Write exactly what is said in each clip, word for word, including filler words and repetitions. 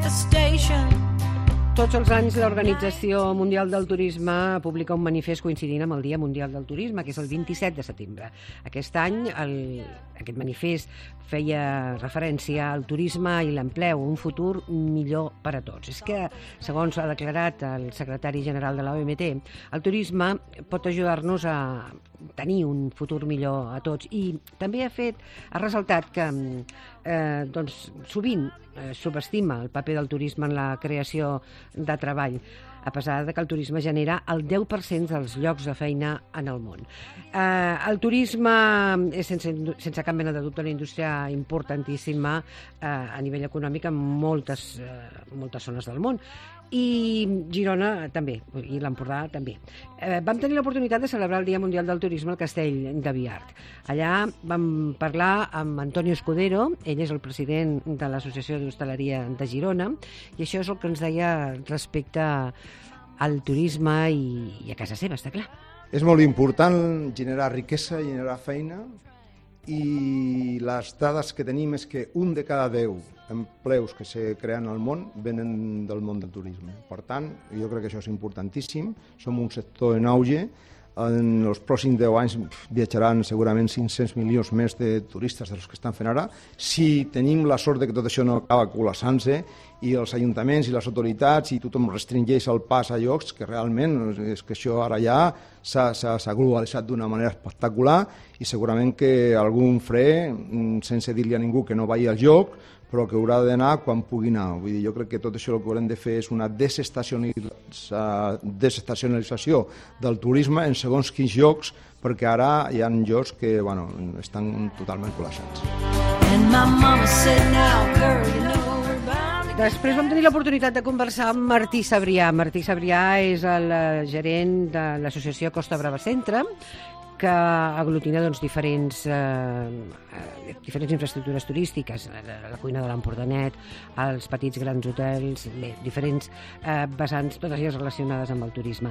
the station. Tots els anys l'Organització Mundial del Turisme publica un manifest coincidint amb el Dia Mundial del Turisme, que és el vint-i-set de setembre. Aquest any el, aquest manifest feia referència al turisme i l'empleu, un futur millor per a tots. És que, segons ha declarat el secretari general de l'O M T, el turisme pot ajudar-nos a tenir un futur millor a tots, i també ha fet ha ressaltat que eh, doncs, sovint eh, subestima el paper del turisme en la creació de treball, a pesar de que el turisme genera el deu per cent dels llocs de feina en el món. Eh, el turisme és, sense, sense cap mena de dubte, una indústria importantíssima eh, a nivell econòmic en moltes, eh, moltes zones del món. I Girona també, i l'Empordà també. Eh, vam tenir l'oportunitat de celebrar el Dia Mundial del Turisme al Castell de Biart. Allà vam parlar amb Antonio Escudero, ell és el president de l'Associació d'Hostaleria de Girona, i això és el que ens deia respecte al turisme i, i a casa seva, està clar. És molt important generar riquesa, generar feina, i les dades que tenim és que un de cada deu empleus que se creen al món venen del món del turisme. Per tant, jo crec que això és importantíssim. Som un sector en auge. En els pròxims deu anys viatjaran segurament cinc-cents milions més de turistes dels que estan fent ara. Si tenim la sort de que tot això no acaba col·lapsant-se i els ajuntaments i les autoritats i tothom restringeix el pas a llocs, que realment és que això ara ja s'ha globalitzat d'una manera espectacular, i segurament que algun fre, sense dir-li a ningú que no vagi al lloc, però que haurà d'anar quan pugui anar. Vull dir, jo crec que tot això el que haurem de fer és una desestacionalització del turisme en segons quins llocs, perquè ara hi ha llocs que bueno, estan totalment col·lapsats. Després vam tenir l'oportunitat de conversar amb Martí Sabrià. Martí Sabrià és el gerent de l'associació Costa Brava Centre, que aglutina doncs, diferents, eh, diferents infraestructures turístiques, la, la cuina de l'Empordanet, els petits grans hotels, bé, diferents eh, vessants, totes elles relacionades amb el turisme.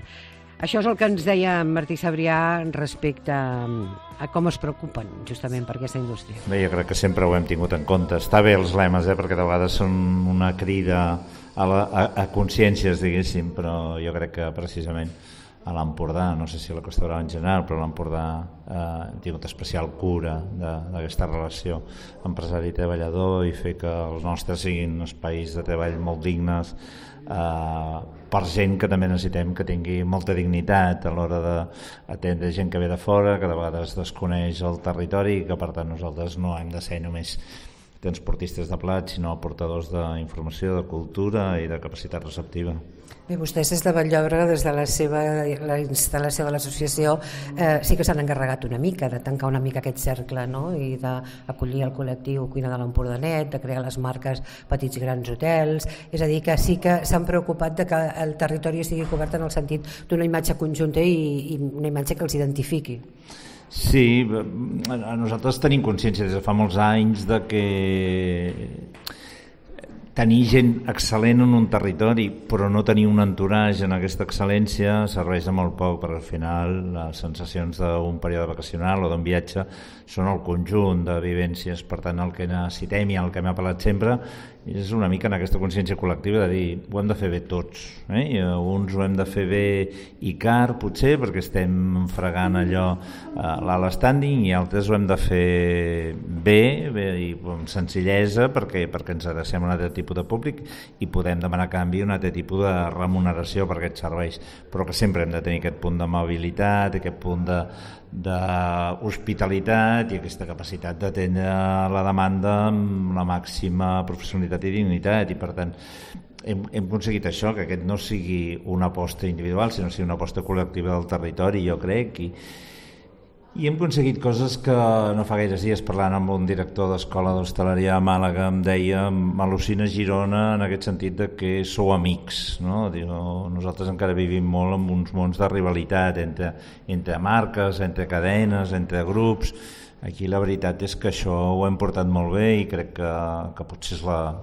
Això és el que ens deia Martí Sabrià respecte a com es preocupen justament per aquesta indústria. Bé, jo crec que sempre ho hem tingut en compte. Està bé els lemes, eh, perquè de vegades són una crida a, la, a, a consciències, diguéssim, però jo crec que precisament a l'Empordà, no sé si a la Costa Brava en general, però a l'Empordà eh, hem tingut especial cura d'aquesta relació empresari-treballador i fer que els nostres siguin espais de treball molt dignes eh, per gent que també necessitem que tingui molta dignitat a l'hora d'atendre gent que ve de fora, que de vegades desconeix el territori i que per tant nosaltres no hem de ser només transportistes de plat, sinó portadors d'informació, de cultura i de capacitat receptiva. Bé, vostès des de Vall-llobrega, des de la seva la instal·lació de l'associació, eh, sí que s'han encarregat una mica de tancar una mica aquest cercle, no? I d'acollir el col·lectiu Cuina de l'Empordanet, de crear les marques Petits Grans Hotels, és a dir, que sí que s'han preocupat de que el territori estigui cobert en el sentit d'una imatge conjunta i, i una imatge que els identifiqui. Sí, nosaltres tenim consciència des de fa molts anys de que tenir gent excel·lent en un territori però no tenir un entourage en aquesta excel·lència serveix de molt poc, perquè al final les sensacions d'un període vacacional o d'un viatge són el conjunt de vivències. Per tant, el que necessitem i el que m'ha apel·lat sempre és una mica en aquesta consciència col·lectiva de dir, ho hem de fer bé tots, eh? I uns ho hem de fer bé i car, potser, perquè estem fregant allò a l'alt standing, i altres ho hem de fer bé, bé i amb senzillesa, perquè, perquè ens adrecem a un altre tipus de públic i podem demanar a canvi un altre tipus de remuneració per aquests serveis, però que sempre hem de tenir aquest punt de mobilitat, aquest punt de d'hospitalitat i aquesta capacitat d'atendre la demanda amb la màxima professionalitat i dignitat, i per tant hem, hem aconseguit això, que aquest no sigui una aposta individual sinó sigui una aposta col·lectiva del territori, jo crec, i, i hem aconseguit coses que no fa gaires dies, parlant amb un director d'escola d'hostaleria a Màlaga, em deia, m'al·lucina Girona en aquest sentit de que sou amics, no? Diu, nosaltres encara vivim molt en uns mons de rivalitat entre, entre marques, entre cadenes, entre grups. Aquí la veritat és que això ho hem portat molt bé i crec que, que potser és la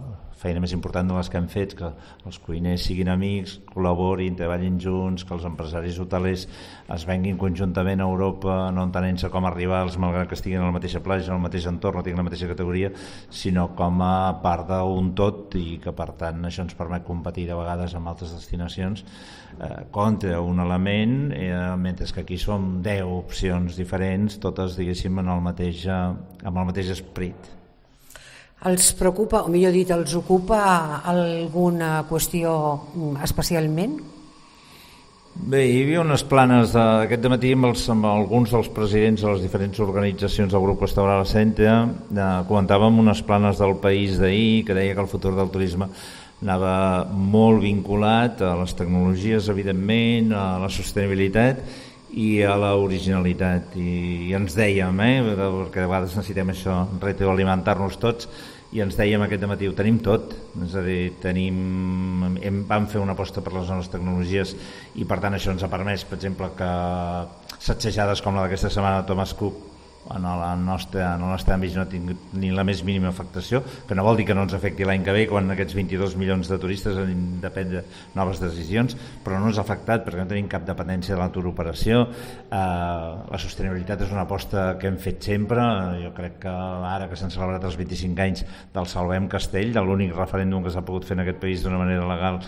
feina més important de les que hem fet, que els cuiners siguin amics, col·laborin, treballin junts, que els empresaris hotelers es venguin conjuntament a Europa, no entenent-se com a rivals, malgrat que estiguin a la mateixa platja, en el mateix entorn, no tinguin la mateixa categoria, sinó com a part d'un tot, i que per tant això ens permet competir de vegades amb altres destinacions eh, contra un element, eh, mentre que aquí som deu opcions diferents, totes diguéssim en el mateix, eh, amb el mateix esperit. Els preocupa, o millor dit, els ocupa alguna qüestió especialment? Bé, hi havia unes planes d'aquest dematí amb, els, amb alguns dels presidents de les diferents organitzacions del grup Costa Brava Centre. Eh, comentàvem unes planes del País d'ahir que deia que el futur del turisme anava molt vinculat a les tecnologies, evidentment, a la sostenibilitat i a l'originalitat, i, i ens dèiem, eh, perquè de vegades necessitem això, retroalimentar-nos tots, i ens dèiem aquest dematí, ho tenim tot, és a dir, tenim, hem, vam fer una aposta per les noves tecnologies i per tant això ens ha permès, per exemple, que sacsejades com la d'aquesta setmana de Thomas Cook en el nostre, en el nostre àmbit no ha tingut ni la més mínima afectació, que no vol dir que no ens afecti l'any que ve quan aquests vint-i-dos milions de turistes han de prendre noves decisions, però no ens ha afectat perquè no tenim cap dependència de la turoperació. Eh, la sostenibilitat és una aposta que hem fet sempre. Jo crec que ara que s'han celebrat els vint-i-cinc anys del Salvem Castell, de l'únic referèndum que s'ha pogut fer en aquest país d'una manera legal,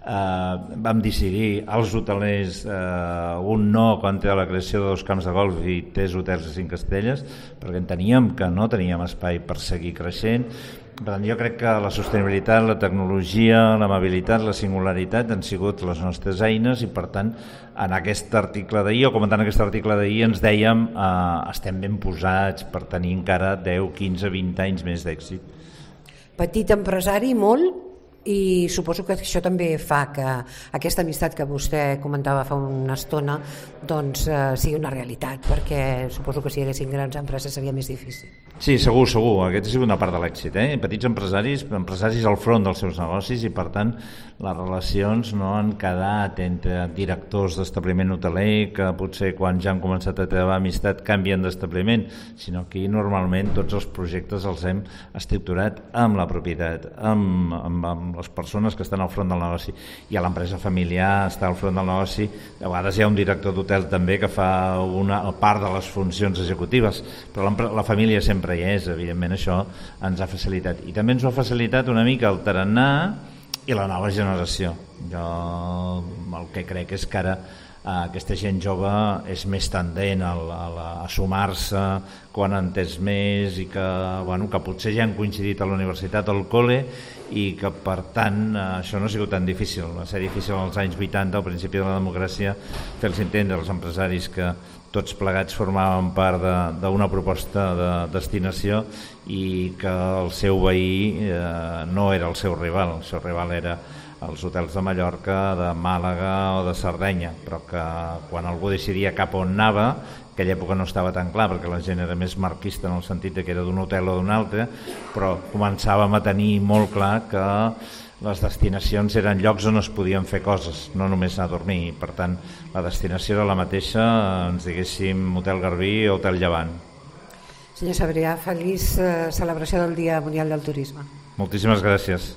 eh, vam decidir els hotelers eh, un no contra la creació de dos camps de golf i tres hotels de cinc estrelles, perquè enteníem que no teníem espai per seguir creixent. Per tant, jo crec que la sostenibilitat, la tecnologia, l'amabilitat, la singularitat han sigut les nostres eines, i per tant en aquest article d'ahir, o comentant aquest article d'ahir, ens dèiem eh, estem ben posats per tenir encara deu, quinze, vint anys més d'èxit. Petit empresari, molt, i suposo que això també fa que aquesta amistat que vostè comentava fa una estona doncs eh, sigui una realitat, perquè suposo que si hi haguessin grans empreses seria més difícil. Sí, segur, segur. Aquesta ha sigut una part de l'èxit. Eh? Petits empresaris, empresaris al front dels seus negocis, i per tant les relacions no han quedat entre directors d'establiment hoteler que potser quan ja han començat a treballar amistat canvien d'establiment, sinó que normalment tots els projectes els hem estructurat amb la propietat, amb, amb, amb les persones que estan al front del negoci, i a l'empresa familiar està al front del negoci. A vegades hi ha un director d'hotel també que fa una part de les funcions executives, però la família sempre hi és, evidentment això ens ha facilitat, i també ens ho ha facilitat una mica el tarannà i la nova generació. Jo el que crec és que ara eh, aquesta gent jove és més tendent a, a, a sumar-se quan ha entès més, i que, bueno, que potser ja han coincidit a la universitat o al col·le, i que per tant eh, això no ha sigut tan difícil. Va ser difícil als anys vuitanta, al principi de la democràcia, fer-los entendre als empresaris que tots plegats formaven part d'una proposta de destinació i que el seu veí eh, no era el seu rival, el seu rival era els hotels de Mallorca, de Màlaga o de Sardenya, però que quan algú decidia cap on anava, aquella època no estava tan clar perquè la gent era més marquista en el sentit que era d'un hotel o d'un altre, però començàvem a tenir molt clar que les destinacions eren llocs on es podien fer coses, no només anar a dormir, i per tant la destinació era la mateixa, ens diguéssim Hotel Garbí o Hotel Llevant. Senyor Sabrià, feliç eh, celebració del Dia Mundial del Turisme. Moltíssimes gràcies.